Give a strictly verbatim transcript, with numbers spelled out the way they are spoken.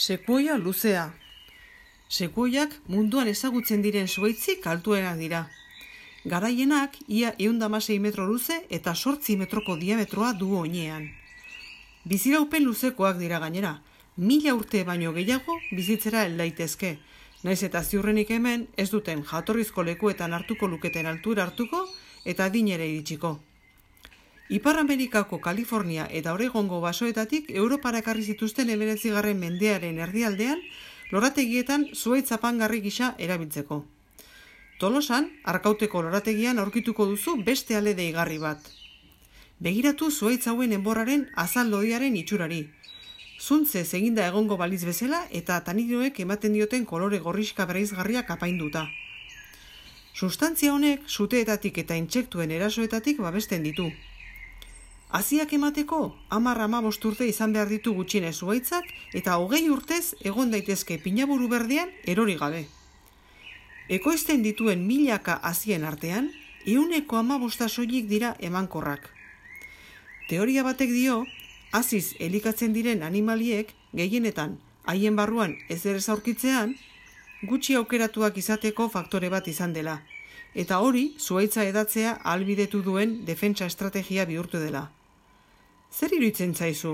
Sekuoia luzea. Sekuoiak munduan ezagutzen diren zuhaitzik altuenak dira. Garaienak ia ehun eta hamasei metro luze eta zortzi metroko diametroa du oinean. Biziraupen luzekoak dira gainera, mila urte baino gehiago bizitzera hel daitezke, naiz eta ziurrenik hemen ez duten jatorrizko lekuetan hartuko luketen altura hartuko eta adinera iritsiko. Ipar Amerikako Kalifornia eta Oregongo basoetatik Europara ekarri zituzten hemeretzigarren mendearen erdialdean lorategietan zuhaitz apaingarri gisa erabiltzeko. Tolosan, Arkauteko lorategian aurkituko duzu beste ale deigarri bat. Begiratu zuhaitz hauen enborraren azal lodiaren itxurari. Zuntzez eginda egongo baliz bezala eta tanidoek ematen dioten kolore gorrixka bereizgarriak apainduta. Sustantzia honek suteetatik eta intsektuen erasoetatik babesten ditu. Haziak emateko, hamar hamabost urte izan behar ditu gutxienez zuhaitzak eta hogei urtez egon daitezke pinaburu berdean erori gabe. Ekoizten dituen milaka hazien artean, ehuneko hamabosta soilik dira emankorrak. Teoria batek dio, haziz elikatzen diren animaliek gehienetan haien barruan ezer ez aurkitzean, gutxi aukeratuak izateko faktore bat izan dela, eta hori zuhaitza edatzea ahalbidetu duen defentsa estrategia bihurtu dela. Zer iruditzen zaizu?